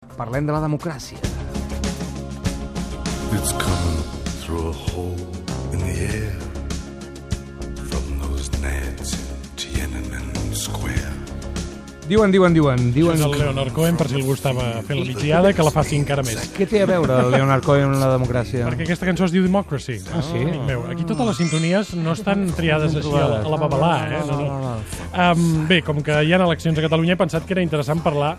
Parlem de la democràcia. It's coming through a hole in the air from those nads in Tiananmen Square. Diuen... Això és el Leonard Cohen, per si algú estava fent la migdiada, que la faci encara més. Què té a veure el Leonard Cohen amb la democràcia? Perquè aquesta cançó es diu Democracy. Ah, sí? Amic meu, aquí totes les sintonies no estan triades així a la babalà, eh? No. Bé, com que hi ha eleccions a Catalunya, he pensat que era interessant parlar,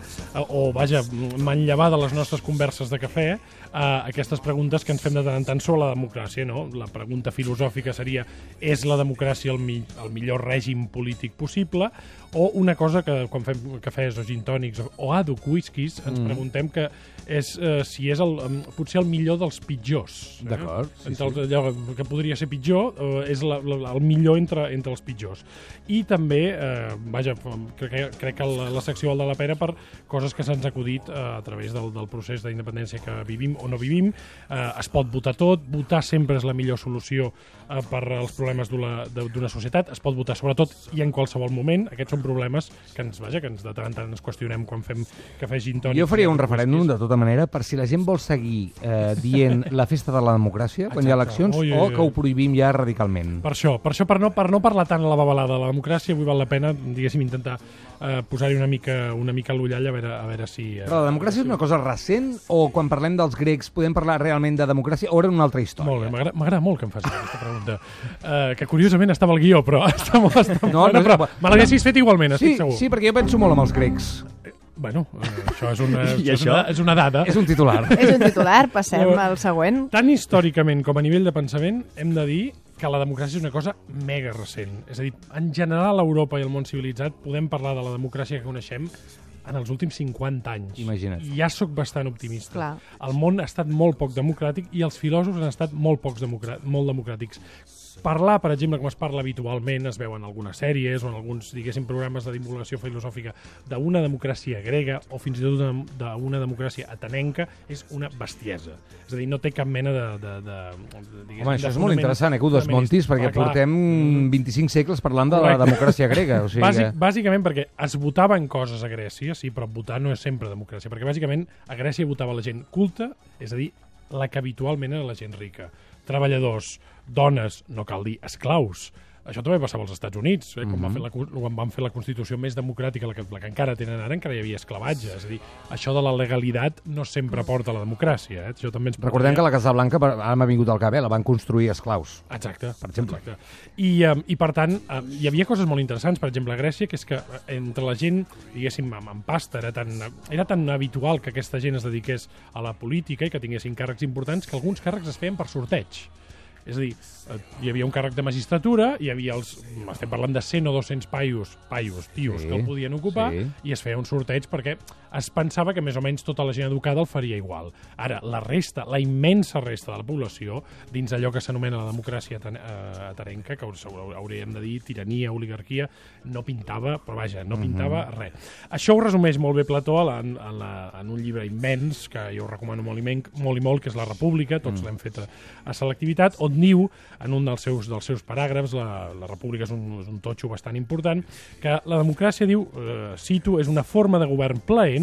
manllevar de les nostres converses de cafè, aquestes preguntes que ens fem de tant en tant sobre la democràcia, no? La pregunta filosòfica seria: és la democràcia el millor règim polític possible? O una cosa que quan fem cafès o gin tònics o àdhuc whiskies ens preguntem que és si és potser el millor dels pitjors. D'acord, sí. Allò que podria ser pitjor és el millor entre els pitjors. I també, crec que la secció val de la pena per coses que s'han acudit a través del procés d'independència que vivim o no vivim. Es pot votar tot, votar sempre és la millor solució per als problemes d'una societat, es pot votar sobretot i en qualsevol moment. Aquests són problemes que ens de tant en tant ens qüestionem quan fem cafè gin tònic. Jo faria un referèndum, de tota manera, per si la gent vol seguir dient la festa de la democràcia, quan hi ha eleccions, o que ho prohibim ja radicalment. Per això, per no parlar tant a la babalada de la democràcia, avui val la pena, diguéssim, intentar posar-hi una mica l'ullall a veure si... Però la democràcia és una cosa recent, o quan parlem dels grecs podem parlar realment de democràcia, o era una altra història? Molt bé, m'agrada molt que em facis aquesta pregunta. Que curiosament estava al guió, però està molt... però me l'haguessis fet igualment, estic segur. Sí, perquè jo penso molt en els grecs. Bueno, això és una dada. És un titular. És un titular, passem al següent. Tant històricament com a nivell de pensament, hem de dir que la democràcia és una cosa mega recent. És a dir, en general, a Europa i el món civilitzat podem parlar de la democràcia que coneixem en els últims 50 anys. Imagina't. Ja sóc bastant optimista. Clar. El món ha estat molt poc democràtic i els filòsofs han estat molt democràtics. Parlar, per exemple, com es parla habitualment, es veu en algunes sèries o en alguns, diguéssim, programes de divulgació filosòfica d'una democràcia grega o fins i tot d'una democràcia atenenca, és una bestiesa. És a dir, no té cap mena de Home, això és molt interessant, que ho desmontis, perquè portem 25 segles parlant de la democràcia grega. O sigui Bàsicament perquè es votaven coses a Grècia, sí, però votar no és sempre democràcia, perquè bàsicament a Grècia votava la gent culta, és a dir, la que habitualment era la gent rica. Treballadors, dones, no cal dir esclaus. Això també passava als Estats Units, quan van fer la Constitució més democràtica, la que encara tenen ara, encara hi havia esclavatge. És a dir, això de la legalitat no sempre porta a la democràcia. Això també Recordem que la Casa Blanca, ara m'ha vingut al cap, la van construir esclaus. Exacte. Per exemple. Exacte. I per tant, hi havia coses molt interessants, per exemple, a Grècia, que és que entre la gent, diguéssim, amb pasta, era tan habitual que aquesta gent es dediqués a la política i que tinguessin càrrecs importants que alguns càrrecs es feien per sorteig. És a dir, hi havia un càrrec de magistratura, hi havia estem parlant de 100 o 200 tios que el podien ocupar, i es feia un sorteig perquè es pensava que més o menys tota la gent educada el faria igual. Ara, la immensa resta de la població, dins allò que s'anomena la democràcia atenenca, que hauríem de dir tirania, oligarquia, no pintava, però vaja, no pintava res. Això ho resumeix molt bé Plató en un llibre immens, que jo recomano molt i molt, que és La República, tots l'hem fet a selectivitat, on diu, en un dels seus paràgrafs, la República és un totxo bastant important, que la democràcia, diu, cito, és una forma de govern plaent,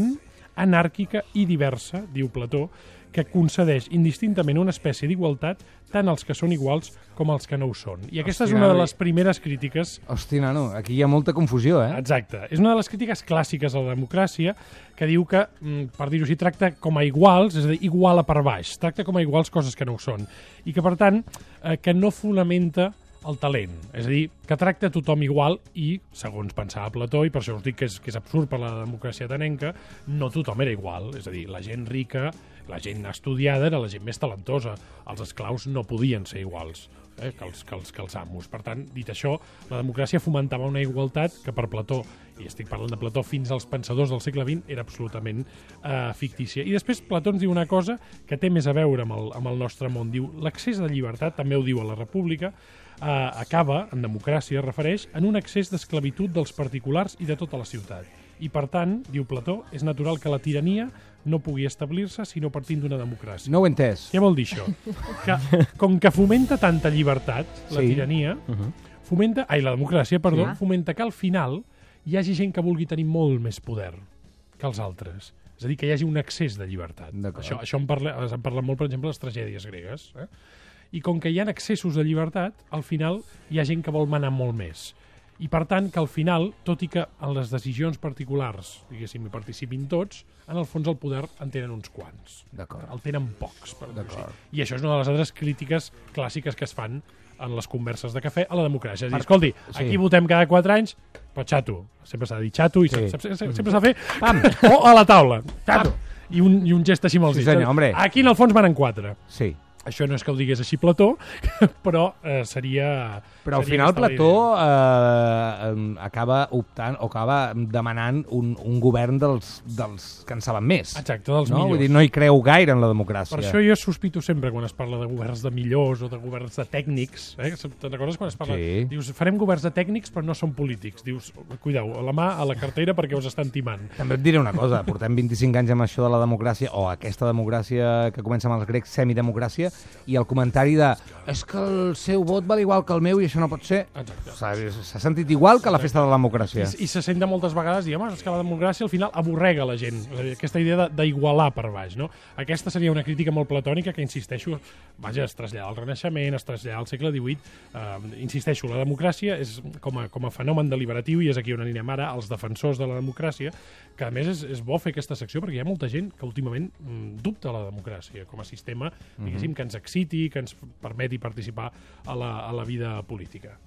anàrquica i diversa, diu Plató, que concedeix indistintament una espècie d'igualtat tant als que són iguals com als que no ho són. I aquesta és una de les primeres crítiques... Hosti, nano, aquí hi ha molta confusió, eh? Exacte. És una de les crítiques clàssiques a la democràcia que diu que, per dir-ho així, tracta com a iguals, és a dir, iguala per baix, tracta com a iguals coses que no ho són. I que, per tant, que no fonamenta el talent, és a dir, que tracta tothom igual i, segons pensava Plató, i per això us dic que és absurd per la democràcia atenenca, no tothom era igual, és a dir, la gent rica, la gent estudiada era la gent més talentosa, els esclaus no podien ser iguals que els amos. Per tant, dit això, la democràcia fomentava una igualtat que per Plató, i estic parlant de Plató fins als pensadors del segle XX, era absolutament fictícia. I després Plató ens diu una cosa que té més a veure amb el nostre món. Diu, l'accés de llibertat, també ho diu a la República, acaba, en democràcia, es refereix en un excés d'esclavitud dels particulars i de tota la ciutat. I, per tant, diu Plató, és natural que la tirania no pugui establir-se sinó partint d'una democràcia. No ho he entès. Què vol dir això? Que, com que fomenta tanta llibertat, la tirania, la democràcia, perdó, fomenta que al final hi hagi gent que vulgui tenir molt més poder que els altres. És a dir, que hi hagi un excés de llibertat. Això en parla molt, per exemple, les tragèdies gregues. I com que hi ha excessos de llibertat, al final hi ha gent que vol manar molt més. I, per tant, que al final, tot i que en les decisions particulars, diguéssim, hi participin tots, en el fons el poder en tenen uns quants. El tenen pocs, per dir-ho així. I això és una de les altres crítiques clàssiques que es fan en les converses de cafè a la democràcia. És a dir, escolti, aquí votem cada 4 anys, però xato. Sempre s'ha de dir xato i sempre s'ha de fer o a la taula. Xato. I un gest així amb els dits. Aquí, en el fons, manen 4. Sí. Això no és que ho digués així Plató, però seria... Però al final Plató acaba optant o acaba demanant un govern dels que en saben més. Exacte, dels millors. Vull dir, no hi creu gaire en la democràcia. Per això jo sospito sempre quan es parla de governs de millors o de governs de tècnics. Te'n recordes quan es parla? Dius, farem governs de tècnics però no són polítics. Dius, cuideu, la mà a la cartera perquè us estan timant. També et diré una cosa, portem 25 anys amb això de la democràcia, o aquesta democràcia que comença amb els grecs, semidemocràcia, i el comentari de és que el seu vot val igual que el meu i això no pot ser. S'ha sentit igual que la festa de la democràcia. I se sent de moltes vegades, diguem, és que la democràcia al final avorrega la gent. Aquesta idea d'igualar per baix, no? Aquesta seria una crítica molt platònica que, insisteixo, es trasllada al Renaixement, es trasllada al segle XVIII. Insisteixo, la democràcia és com a fenomen deliberatiu, i és aquí on anirem ara, els defensors de la democràcia, que a més és bo fer aquesta secció perquè hi ha molta gent que últimament dubta la democràcia com a sistema, diguéssim, que ens exciti, que ens permeti participar a la vida política.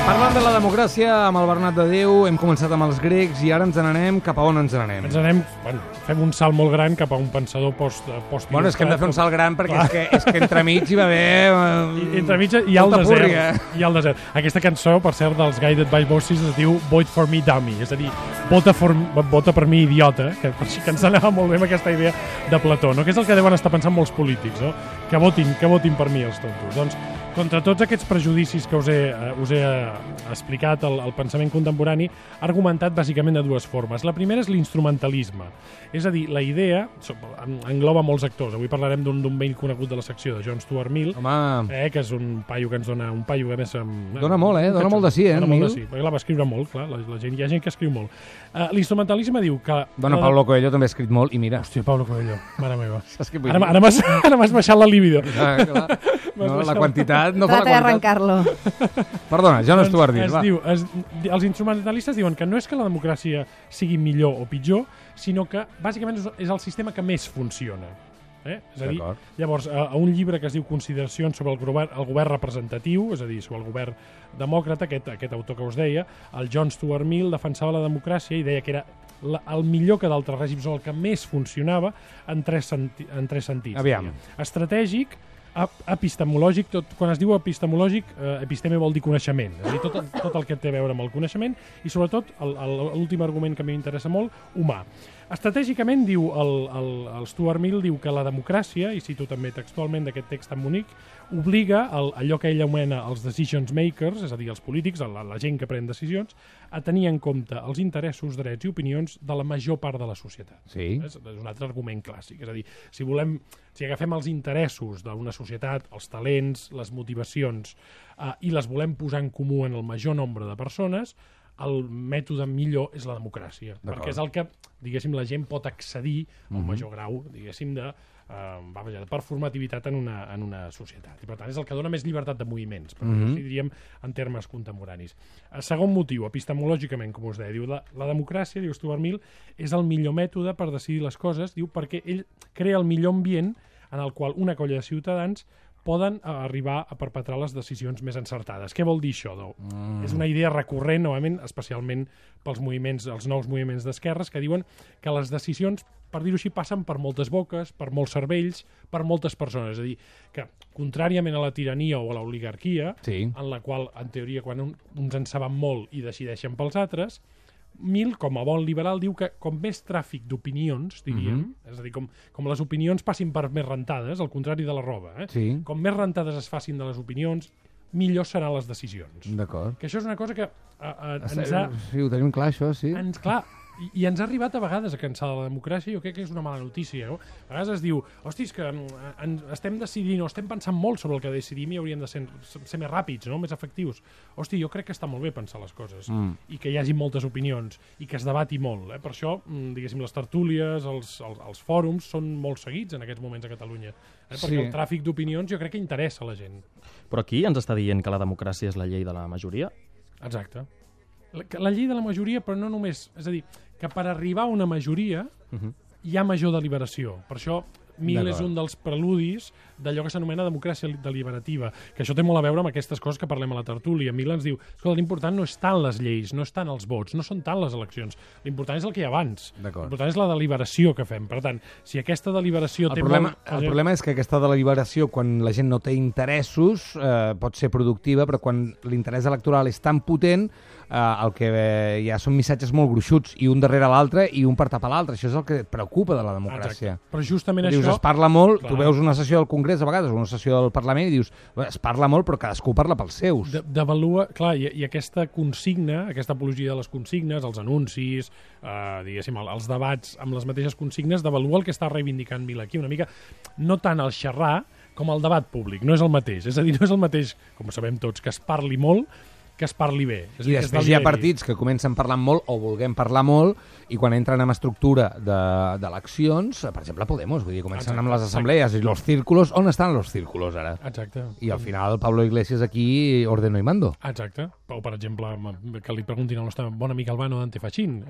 Parlant de la democràcia, amb el Bernat de Déu, hem començat amb els grecs i ara ens n'anem cap a on ens n'anem? Ens n'anem, fem un salt molt gran cap a un pensador post Bueno, és que hem de fer un salt gran perquè és que entremig hi va haver... Entremig hi ha el desert. Hi ha el desert. Aquesta cançó, per cert, dels Guided by Voices es diu Vote for me, dummy. És a dir, vota per mi, idiota, que ens anava molt bé amb aquesta idea de Plató, no? Que és el que deuen estar pensant molts polítics, no? Que votin per mi, els tontos. Doncs, contra tots aquests prejudicis que us he explicat, el pensament contemporani ha argumentat bàsicament de dues formes. La primera és l'instrumentalisme. És a dir, la idea engloba molts actors. Avui parlarem d'un vell conegut de la secció, de John Stuart Mill, que és un paio que ens dona... Un paio que més... Dona molt, Dona molt de sí, Dona molt de sí, perquè la va escriure molt, clar. Hi ha gent que escriu molt. L'instrumentalisme diu que... Bueno, Pablo Coelho també ha escrit molt, i mira... Hòstia, Pablo Coelho, mare meva. Ara m'has baixat la libido. No, la quantitat no fa la qualitat. Trata d'arrencar-lo. Perdona, John Stuart Mill, va. Els instrumentalistes diuen que no és que la democràcia sigui millor o pitjor, sinó que bàsicament és el sistema que més funciona. És a dir, llavors, a un llibre que es diu Consideracions sobre el govern representatiu, és a dir, sobre el govern demòcrata, aquest autor que us deia, el John Stuart Mill defensava la democràcia i deia que era el millor que d'altres règims, o el que més funcionava en tres sentits. Aviam. Estratègic, epistemològic, quan es diu epistemològic, episteme vol dir coneixement, és a dir, tot el que té a veure amb el coneixement, i sobretot, l'últim argument que a mi m'interessa molt, humà. Estratègicament, diu el Stuart Mill, diu que la democràcia, i cito també textualment d'aquest text tan bonic, obliga allò que ell anomena els decisions makers, és a dir, els polítics, la gent que pren decisions, a tenir en compte els interessos, drets i opinions de la major part de la societat. Sí. És un altre argument clàssic. És a dir, si agafem els interessos d'una societat, els talents, les motivacions, i les volem posar en comú en el major nombre de persones, el mètode millor és la democràcia. Perquè és el que, diguéssim, la gent pot accedir a un major grau, diguéssim, de performativitat en una societat. I per tant és el que dona més llibertat de moviments, per dir-ho, diríem, en termes contemporanis. Segon motiu, epistemològicament, com us deia, diu, la democràcia, diu Stuart Mill, és el millor mètode per decidir les coses, diu, perquè ell crea el millor ambient en el qual una colla de ciutadans poden arribar a perpetrar les decisions més encertades. Què vol dir això? És una idea recurrent, novament, especialment pels els nous moviments d'esquerres, que diuen que les decisions, per dir-ho així, passen per moltes boques, per molts cervells, per moltes persones. És a dir, que, contràriament a la tirania o a l'oligarquia, en la qual, en teoria, quan uns en saben molt i decideixen pels altres, Mill, com a bon liberal, diu que com més tràfic d'opinions, diríem, és a dir, com les opinions passin per més rentades, al contrari de la roba, com més rentades es facin de les opinions, millor seran les decisions. D'acord. Que això és una cosa que Sí, ho tenim clar, això, sí. Clar, I ens ha arribat a vegades a cansar de la democràcia, jo crec que és una mala notícia. No? A vegades es diu, hosti, és que estem decidint o estem pensant molt sobre el que decidim i hauríem de ser més ràpids, no? Més efectius. Hosti, jo crec que està molt bé pensar les coses i que hi hagi moltes opinions i que es debati molt. Per això, diguéssim, les tertúlies, els fòrums són molt seguits en aquests moments a Catalunya. Perquè el tràfic d'opinions jo crec que interessa a la gent. Però aquí ens està dient que la democràcia és la llei de la majoria? Exacte. La llei de la majoria, però no només... És a dir, que per arribar a una majoria hi ha major deliberació. Per això Mill és un dels preludis d'allò que s'anomena democràcia deliberativa, que això té molt a veure amb aquestes coses que parlem a la tertúlia. Mill ens diu, escolta, l'important no és tant les lleis, no és tant els vots, no són tant les eleccions. L'important és el que hi ha abans. L'important és la deliberació que fem. Per tant, si aquesta deliberació té molt... El problema és que aquesta deliberació, quan la gent no té interessos, pot ser productiva, però quan l'interès electoral és tan potent, el que hi ha són missatges molt gruixuts, i un darrere l'altre i un per tapar l'altre. Això és el que et preocupa de la democràcia. Exacte. Però justament dius, això... es parla molt, tu veus una sessió del Congrés a vegades, una sessió del Parlament, i dius, es parla molt, però cadascú parla pels seus. Devalua, clar, i aquesta consigna, aquesta apologia de les consignes, els anuncis, diguéssim, els debats amb les mateixes consignes, devalua el que està reivindicant Mill aquí, una mica, no tant el xerrar com el debat públic, no és el mateix. És a dir, no és el mateix, com sabem tots, que es parli molt, que es parli bé. I després hi ha partits que comencen parlant molt o volguem parlar molt i quan entren en estructura d'eleccions, per exemple Podemos, vull dir, comencen amb les assemblees i els círculos. On estan els círculos ara? Exacte. I al final Pablo Iglesias aquí ordeno y mando. Exacte. O, per exemple, que li preguntin al nostre bon amic Albano d'Antefachín,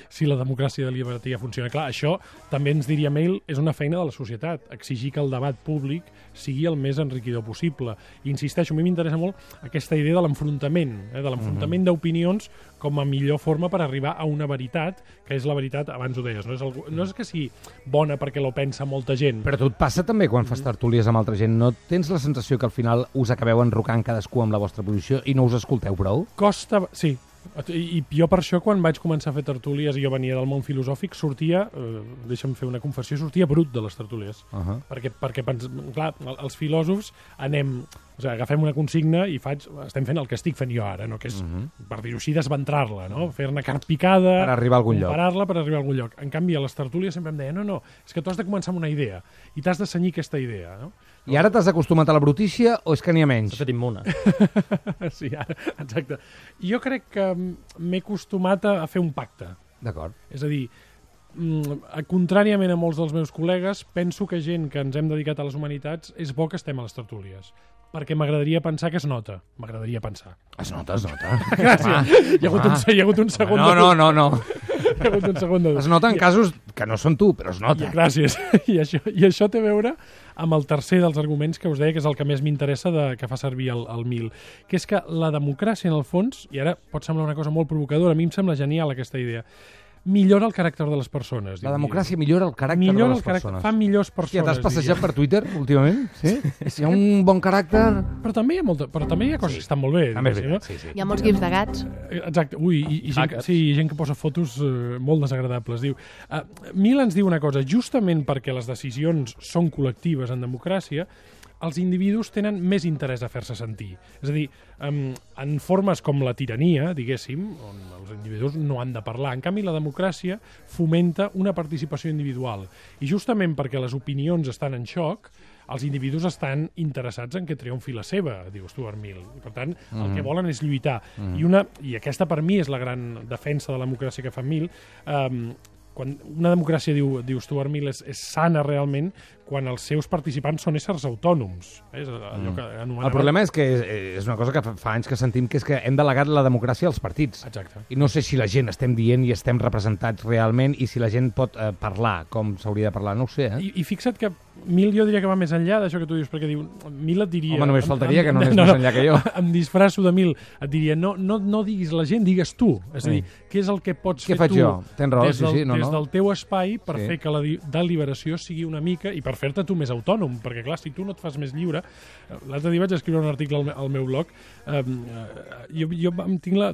si la democràcia deliberativa funciona. Clar, això també ens diria Mill, és una feina de la societat, exigir que el debat públic sigui el més enriquidor possible. I insisteixo, a mi m'interessa molt aquesta idea de l'enfrontament, de l'enfrontament d'opinions com a millor forma per arribar a una veritat, que és la veritat, abans ho deies, no és que sigui bona perquè lo pensa molta gent. Però a tu et passa també quan fas tertúlies amb altra gent, no tens la sensació que al final us acabeu enrocant cadascú amb la vostra posició i no us escolteu prou? Costa, sí. I jo per això, quan vaig començar a fer tertúlies i jo venia del món filosòfic, sortia, deixa'm fer una confessió, sortia brut de les tertúlies. Perquè clar, els filòsofs anem... O sigui, agafem una consigna i estem fent el que estic fent jo ara, no? Que és, per dir-ho així, desventrar-la, no? Fer-ne carn picada... Per arribar a algun lloc. Comparar-la per arribar a algun lloc. En canvi, a les tertúlies sempre em deia, no, és que tu has de començar amb una idea i t'has de cenyir aquesta idea, no? I ara t'has acostumat a la brutícia o és que n'hi ha menys? S'ha fet immune. Sí, ara, exacte. Jo crec que m'he acostumat a fer un pacte. D'acord. És a dir, contràriament a molts dels meus col·legues, penso que gent que ens hem dedicat a les humanitats és bo que estem a les tertúlies. Perquè m'agradaria pensar que es nota. M'agradaria pensar. Es nota. Gràcies. Hi ha hagut un segon... No. Hi ha hagut un segon de... Es nota en casos que no són tu, però es nota. Gràcies. I això té a veure amb el tercer dels arguments que us deia, que és el que més m'interessa que fa servir el Mill, que és que la democràcia, en el fons, i ara pot semblar una cosa molt provocadora, a mi em sembla genial aquesta idea, millora el caràcter de les persones. La democràcia millora el caràcter de les persones. Fa millors persones. Ja t'has passejat per Twitter últimament? Sí? Si hi ha un bon caràcter... Però també hi ha coses que estan molt bé. Sí. Hi ha molts gifs de gats. Exacte. Ui, i gent que posa fotos molt desagradables. Diu, Mill ens diu una cosa, justament perquè les decisions són col·lectives en democràcia, els individus tenen més interès a fer-se sentir. És a dir, en formes com la tirania, diguéssim, on els individus no han de parlar. En canvi, la democràcia fomenta una participació individual. I justament perquè les opinions estan en xoc, els individus estan interessats en que triomfi la seva, diu Stuart Mill. I, per tant, el que volen és lluitar. I aquesta, per mi, és la gran defensa de la democràcia que fa Mill. Quan una democràcia, diu Stuart Mill, és sana realment quan els seus participants són éssers autònoms. És allò que anomenava... El problema és que és una cosa que fa anys que sentim, que és que hem delegat la democràcia als partits. Exacte. I no sé si la gent estem dient i estem representats realment i si la gent pot parlar com s'hauria de parlar, no ho sé. I fixa't que Mill jo diria que va més enllà d'això que tu dius, perquè diu, Mill et diria... Home, només faltaria que no anés més enllà que jo. Em disfrasso de Mill, et diria, no diguis la gent, digues tu. És a dir, què és el que pots fer tu? Què faig jo? Tens raó, des del teu espai per fer que la deliberació sigui una mica, i per fer-te tu més autònom, perquè clar, si tu no et fas més lliure... L'altre dia vaig escriure un article al meu blog, jo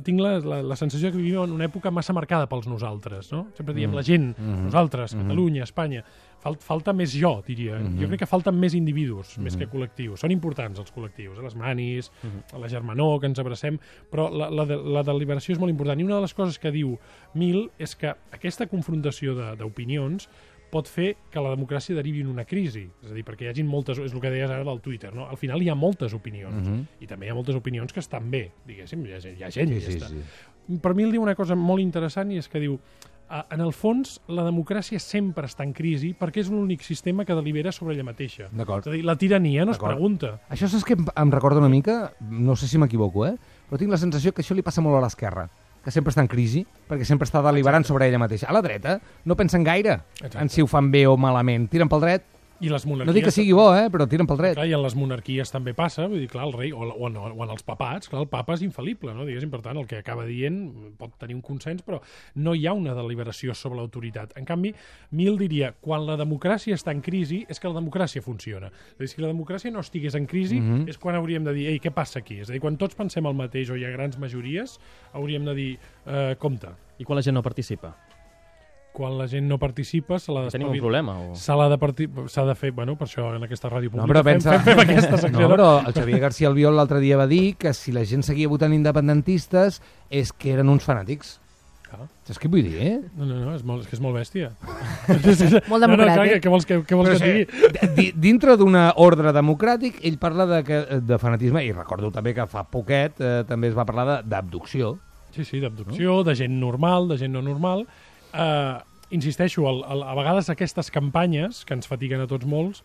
tinc la sensació que vivim en una època massa marcada pels nosaltres, no? Sempre diem la gent, nosaltres, Catalunya, Espanya... falta més jo, diria. Jo crec que falten més individus, més que col·lectius. Són importants els col·lectius, les manis, la germanor, que ens abracem, però la deliberació és molt important. I una de les coses que diu Mill és que aquesta confrontació d'opinions pot fer que la democràcia derivi en una crisi. És a dir, perquè hi hagi moltes... És el que deies ara del Twitter, no? Al final hi ha moltes opinions. I també hi ha moltes opinions que estan bé, diguéssim. Hi ha gent i ja està. Per mi diu una cosa molt interessant i és que diu en el fons, la democràcia sempre està en crisi perquè és l'únic sistema que delibera sobre ella mateixa. D'acord. És a dir, la tirania no es pregunta. Això saps que em recorda una mica, no sé si m'equivoco, però tinc la sensació que això li passa molt a l'esquerra, que sempre està en crisi, perquè sempre està deliberant sobre ella mateixa. A la dreta no pensen gaire en si ho fan bé o malament. Tiren pel dret. I les monarquies... No dic que sigui bo, però tiren pel dret. Clar, i en les monarquies també passa, vull dir, clar, el rei, o en els papats, clar, el papa és infal·lible, no? Diguéssim, per tant, el que acaba dient pot tenir un consens, però no hi ha una deliberació sobre l'autoritat. En canvi, Mill diria, quan la democràcia està en crisi, és que la democràcia funciona. És a dir, si la democràcia no estigués en crisi, és quan hauríem de dir, ei, què passa aquí? És a dir, quan tots pensem el mateix o hi ha grans majories, hauríem de dir, compte. I quan la gent no participa? Quan la gent no participa, se l'ha Tenim un problema? O... S'ha de fer, bueno, per això en aquesta ràdio pública fem aquesta secció. No, però el Xavier García Albiol l'altre dia va dir que si la gent seguia votant independentistes és que eren uns fanàtics. Saps què vull dir, No, és molt bèstia. Molt democràtic. Què vols que et digui? Dintre d'una ordre democràtic, ell parla de fanatisme, i recordo també que fa poquet també es va parlar d'abducció. Sí, d'abducció, de gent normal, de gent no normal. Insisteixo, a vegades aquestes campanyes, que ens fatiguen a tots molts,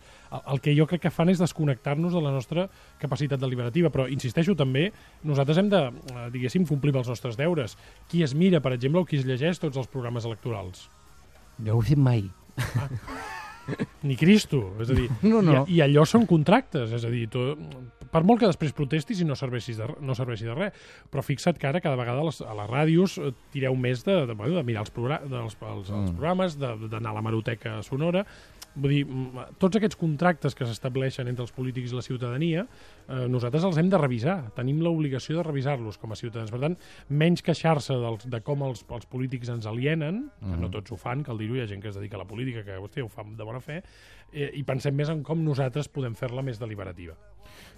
el que jo crec que fan és desconnectar-nos de la nostra capacitat deliberativa, però insisteixo també, nosaltres hem de, diguéssim, complir els nostres deures. Qui es mira, per exemple, o qui es llegeix tots els programes electorals? No ho he fet mai. Ni Cristo, és a dir, no. I allò són contractes, és a dir, per molt que després protestis i no serveixi de res, però fixa't que ara cada vegada a les ràdios tireu més de mirar els programes, d'anar a la hemeroteca sonora. Vull dir, tots aquests contractes que s'estableixen entre els polítics i la ciutadania, nosaltres els hem de revisar. Tenim l'obligació de revisar-los com a ciutadans. Per tant, menys queixar-se de com els polítics ens alienen, que no tots ho fan, cal dir-ho, hi ha gent que es dedica a la política, que ho fa de bona fe, i pensem més en com nosaltres podem fer-la més deliberativa.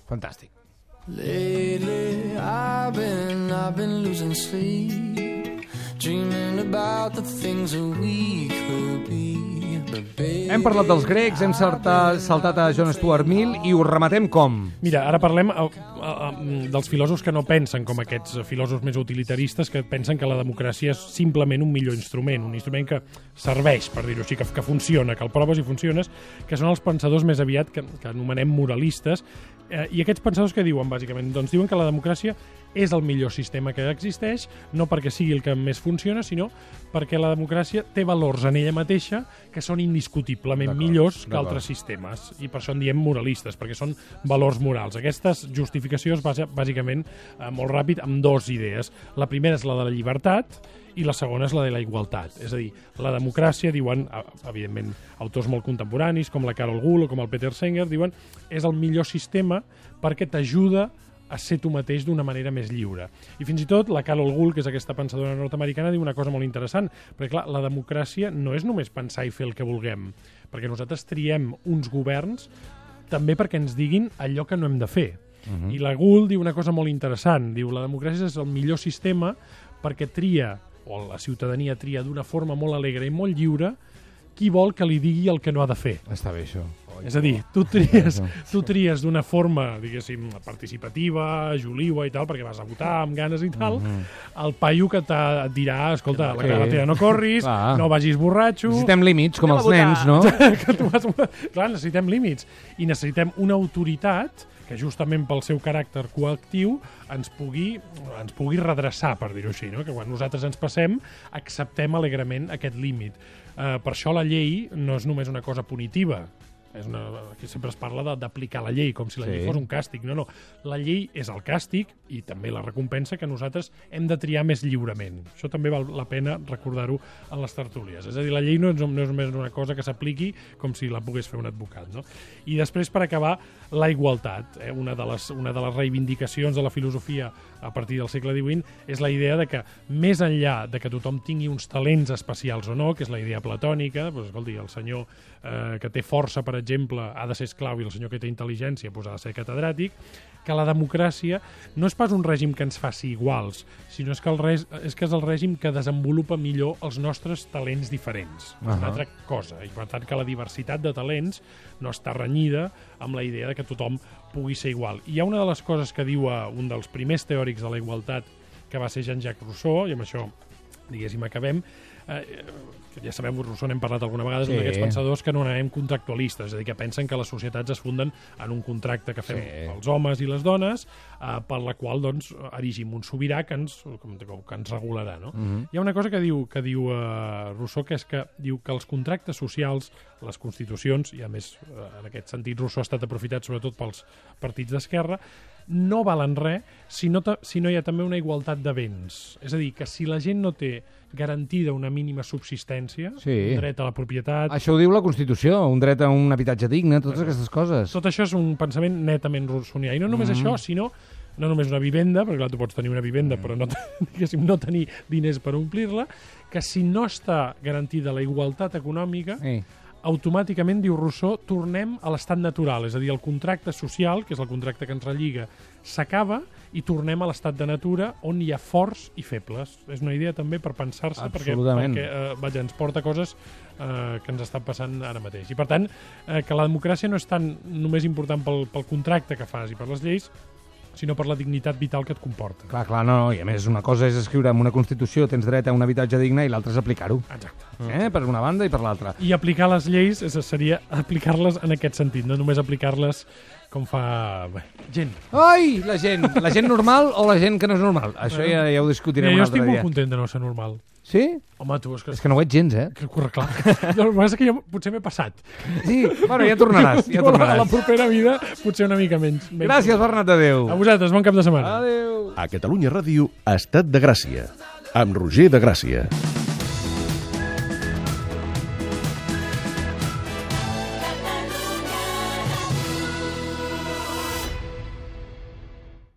Fantàstic. Lately I've been losing sleep, dreaming about the things that we could be. Hem parlat dels grecs, hem saltat a John Stuart Mill i ho rematem com? Mira, ara parlem dels filòsofs que no pensen com aquests filòsofs més utilitaristes que pensen que la democràcia és simplement un millor instrument, un instrument que serveix, per dir-ho així, que funciona, que el proves i funciones, que són els pensadors més aviat que anomenem moralistes. I aquests pensadors que diuen, bàsicament? Doncs diuen que la democràcia és el millor sistema que existeix, no perquè sigui el que més funciona, sinó perquè la democràcia té valors en ella mateixa que són indiscutiblement millors que altres sistemes. I per això en diem moralistes, perquè són valors morals. Aquesta justificació es basa, bàsicament, molt ràpid, en dues idees. La primera és la de la llibertat i la segona és la de la igualtat. És a dir, la democràcia, diuen, evidentment, autors molt contemporanis, com la Carol Gould o com el Peter Singer, diuen, és el millor sistema perquè t'ajuda a ser tu mateix d'una manera més lliure. I fins i tot la Carol Gould, que és aquesta pensadora nord-americana, diu una cosa molt interessant, perquè clar, la democràcia no és només pensar i fer el que vulguem, perquè nosaltres triem uns governs també perquè ens diguin allò que no hem de fer. I la Gould diu una cosa molt interessant, diu la democràcia és el millor sistema perquè tria, o la ciutadania tria d'una forma molt alegre i molt lliure, qui vol que li digui el que no ha de fer. Està bé, això. És a dir, tu tries d'una forma, diguéssim, participativa, juliua i tal, perquè vas a votar amb ganes i tal, el paio que et dirà, escolta, la carretera no corris, no vagis borratxo... Necessitem límits, com els nens, no? Clar, necessitem límits. I necessitem una autoritat que justament pel seu caràcter coactiu ens pugui redreçar, per dir-ho així, no? Que quan nosaltres ens passem, acceptem alegrement aquest límit. Per això la llei no és només una cosa punitiva, Aquí sempre es parla d'aplicar la llei, com si la llei fos un càstig. No. La llei és el càstig i també la recompensa que nosaltres hem de triar més lliurement. Això també val la pena recordar-ho en les tertúlies. És a dir, la llei no és només una cosa que s'apliqui com si la pogués fer un advocat. No? I després, per acabar, la igualtat. Una de les reivindicacions de la filosofia a partir del segle XVIII és la idea de que, més enllà de que tothom tingui uns talents especials o no, que és la idea platònica, doncs, escolti, el senyor que té força, per exemple, ha de ser esclau i el senyor que té intel·ligència ha de ser catedràtic, que la democràcia no és pas un règim que ens faci iguals, sinó que és el règim que desenvolupa millor els nostres talents diferents. És una altra cosa, i per tant que la diversitat de talents no està renyida amb la idea de que tothom pugui ser igual. I hi ha una de les coses que diu un dels primers teòrics de la igualtat, que va ser Jean-Jacques Rousseau, i amb això, diguéssim, acabem, ja sabem, Rousseau n'hem parlat alguna vegada, és un d'aquests pensadors que no anem contractualistes, és a dir, que pensen que les societats es funden en un contracte que fem els homes i les dones, per la qual doncs, erigim un sobirà que ens regularà. No? Hi ha una cosa que diu Rousseau, que és que diu que els contractes socials, les constitucions, i a més en aquest sentit Rousseau ha estat aprofitat sobretot pels partits d'esquerra, no valen res si no hi ha també una igualtat de béns. És a dir, que si la gent no té garantida una mínima subsistència, un dret a la propietat... Això ho diu la Constitució, un dret a un habitatge digne, totes aquestes coses. Tot això és un pensament netament rousseauià. I no només això, sinó no només una vivenda, perquè clar, tu pots tenir una vivenda però no tenir diners per omplir-la, que si no està garantida la igualtat econòmica, automàticament, diu Rousseau, tornem a l'estat natural, és a dir, el contracte social, que és el contracte que ens relliga, s'acaba i tornem a l'estat de natura on hi ha forts i febles. És una idea també per pensar-se, perquè ens porta coses que ens estan passant ara mateix. I per tant, que la democràcia no és tan només important pel contracte que fas i per les lleis, sinó per la dignitat vital que et comporta. Clar, no, i a més una cosa és escriure en una Constitució tens dret a un habitatge digne i l'altra és aplicar-ho. Exacte. Per una banda i per l'altra. I aplicar les lleis seria aplicar-les en aquest sentit, no només aplicar-les com fa gent. Ai, la gent normal o la gent que no és normal? Això ja ho discutirem un altre dia. Jo estic molt content de no ser normal. Sí? Home, tu... És que no ho ets gens, Clar. El que és que jo potser m'he passat. Sí, bueno, ja tornaràs. A la propera vida potser una mica menys. Gràcies, Bernat, adéu. A vosaltres, bon cap de setmana. Adéu. A Catalunya Ràdio, Estat de Gràcia, amb Roger de Gràcia.